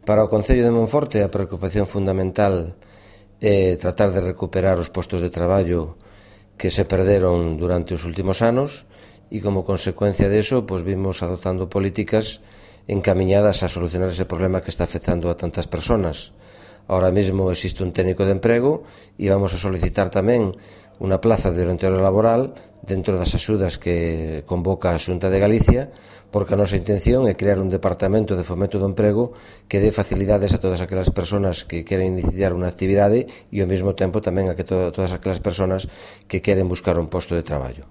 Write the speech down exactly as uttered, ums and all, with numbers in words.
Para o Concello de Monforte a preocupación fundamental é tratar de recuperar os postos de traballo que se perderon durante os últimos anos e como consecuencia deso pois vimos adoptando políticas encamiñadas a solucionar ese problema que está afectando a tantas persoas. Ahora mesmo existe un técnico de emprego e vamos a solicitar tamén unha plaza de orientador laboral dentro das axudas que convoca a Xunta de Galicia, porque a nosa intención é crear un departamento de fomento do emprego que dé facilidades a todas aquelas persoas que queren iniciar unha actividade e ao mesmo tempo tamén a que to- todas aquelas persoas que queren buscar un posto de traballo.